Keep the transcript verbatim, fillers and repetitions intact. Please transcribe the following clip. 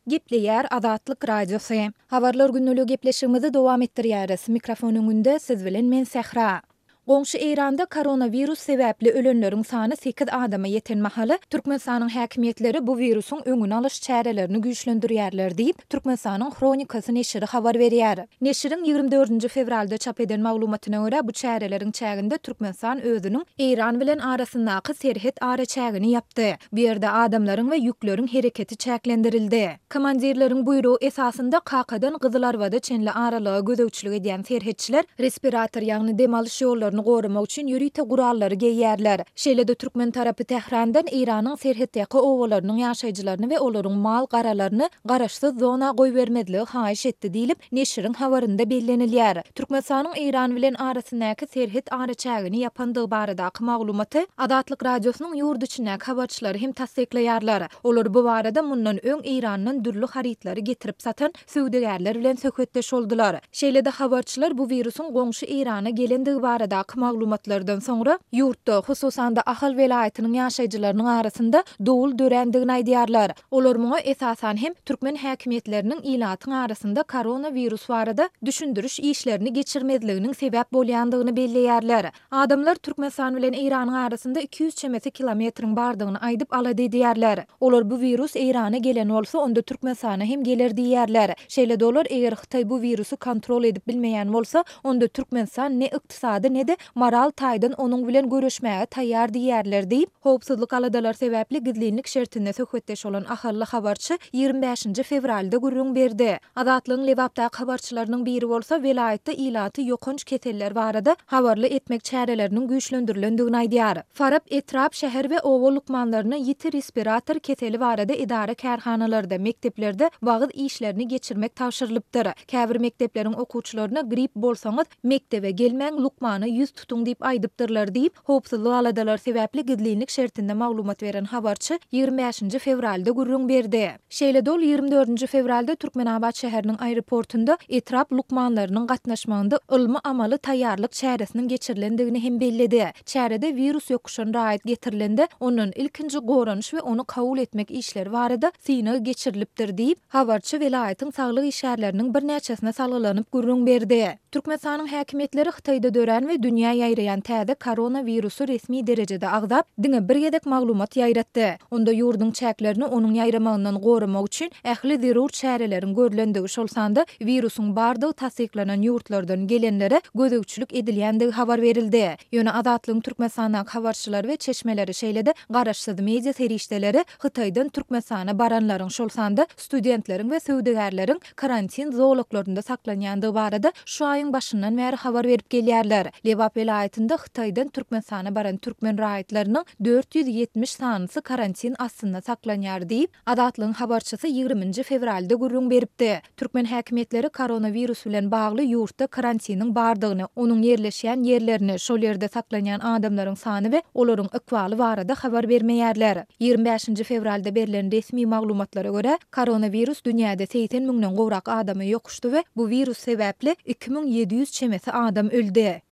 Gepleýär Azatlyk Radiosy. Habarlar gündeligi gepleşigimizi dowam etdirýäris. Mikrofon öňünde siz bilen men Sähra. Goňşy Eýranda koronawirus sebäpli ölenleriň sany sekiz adama ýeten mahaly, Türkmenistanyň häkimiýetleri bu wirusyň öňüni alyş çärelerini güýçlendirýärler diýip, Türkmenistanyň Hronikasy neşiri habar berýär. Neşiriň ýigrimi dördünji fewralda çap eden maglumatyna görä, bu çäreleriň çäginde Türkmenistan özüniň Eýran bilen arasyndaky serhet araçägini ýapdy. Bu ýerde adamlaryň we ýükleriň hereketi çäklendirildi. Komandirleriň buýrugy esasynda Kakadan Gyzylarbada çenli aralyga gözegçilik edýän serhetçiler respirator, ýagny dem alyş ýollaryny goramak üçin ýörite gurallary geýýärler. Şeýle-de türkmen tarapy Tährandan Eýranyň serhetýaka obalarynyň ýaşaýjylaryny we olaryň mal-garalaryny garaşsyz zona goýbermezligi haýyş etdi diýlip, neşiriň habarynda bellenilýär. Türkmenistanyň Eýran bilen arasyndaky serhet araçägini ýapandygy baradaky maglumaty Azatlyk Radiosynyň ýurt içindäki habarçylary hem tassyklaýarlar. Olar bu barada mundan öň Eýrandan dürli harytlary getirip satan söwdagärler bilen söhbetdeş boldular. Şeýle-de habarçylar bu wirusyň goňşy Eýrana gelendigi baradaky maglumatlardan soňra ýurtda, hususan-da Ahal welaýatynyň ýaşaýjylarynyň arasynda dowul dörändigini aýdýarlar. Olar muňa esasan hem türkmen häkimiýetleriniň ilatyň arasynda koronawirus barada düşündiriş işlerini geçirmezliginiň sebäp bolýandygyny belleýärler. Adamlar Türkmenistan bilen Eýranyň arasynda iki ýüz çemesi kilometriň bardygyny aýdyp alada edýärler. Olar bu wirus Eýrana gelen bolsa, onda Türkmenistana hem geler diýýärler. Şeýle-de olar eger Hytaý bu wirusy kontrol edip bilmeýän bolsa, onda Türkmenistan ne ykdysady, ne-de moral taýdan onuň bilen göreşmäge taýýar diýýärler diýip, howpsuzlyk aladalary sebäpli gizlinlik şertinde söhbetdeş bolan ahally habarçy ýigrimi bäşinji fewralda gürrüň berdi. Azatlygyň Lebapdaky habarçylarynyň biri bolsa welaýatda ilaty ýokanç keseller barada habarly etmek çäreleriniň güýçlendirilendigini aýdýar. Farap etrap, şäher we oba lukmanlaryna ýiti respirator keseli barada edara-kärhanalarda, mekdeplerde wagyz işlerini geçirmek tabşyrylypdyr. Käbir mekdepleriň okuwçylaryna grip bolsaňyz, mekdebe gelmäň, lukmana ýüz tutuň diýip aýdypdyrlar diýip, howpsuzlyk aladalary sebäpli gizlinlik şertinde maglumat beren habarçy ýigrimi bäşinji fewralda gürrüň berdi. Şeýle-de ol ýigrimi dördünji fewralda Türkmenabat şäheriniň aeroportunda etrap lukmanlarynyň gatnaşmagynda ylmy-amaly taýýarlyk çäresiniň geçirilendigini hem belledi. Çärede wirus ýokuşan raýat getirilende, ondan ilkinji goranyş we ony kabul etmek işleri barada synag geçirilipdir diýip, habarçy welaýatyň saglyk işgärleriniň birnäçesine salgylanyp gürrüň berdi. Türkmenistanyň häkimiýetleri Hytaýda dörän we dünýä ýaýraýan täze koronawirusy resmi derejede agzap, diňe bir gezek maglumat ýaýratdy. Onda ýurduň çäklerini onuň ýaýramagyndan goramak üçin ähli zerur çäreleriň görlendigi, şol sanda wirusyň bardygy tassyklanan ýurtlardan gelenlere gözegçilik edilýändigi habar berildi. Ýöne Azatlygyň Türkmenistandaky habarçylary we çeşmeleri, şeýle-de garaşsyz media serişdeleri Hytaýdan Türkmenistana baranlaryň, şol sanda studentleriň we söwdagärleriň karantin zolaklarynda saklanýandygy barada şu aýyň başyndan bäri habar berip gelýärler. Lebap welaýatynda Hytaýdan Türkmenistana baran türkmen raýatlarynyň dört ýüz ýetmiş sanysy karantin astynda saklanýar diýip, Azatlygyň habarçysy ýigriminji fewralda gürrüň beripdi. Türkmen häkimiýetleri koronawirus bilen bagly ýurtda karantiniň bardygyny, onuň ýerleşýän ýerlerini, şol ýerde saklanýan adamlaryň sany we olaryň ykbaly barada habar bermeýärler. Ýigrimi bäşinji fewralda berlen resmi maglumatlara görä, koronawirus dünýäde segsen müňden gowrak adama ýokuşdy we bu wirus sebäpli iki müň ýedi ýüz çemesi adam öldi.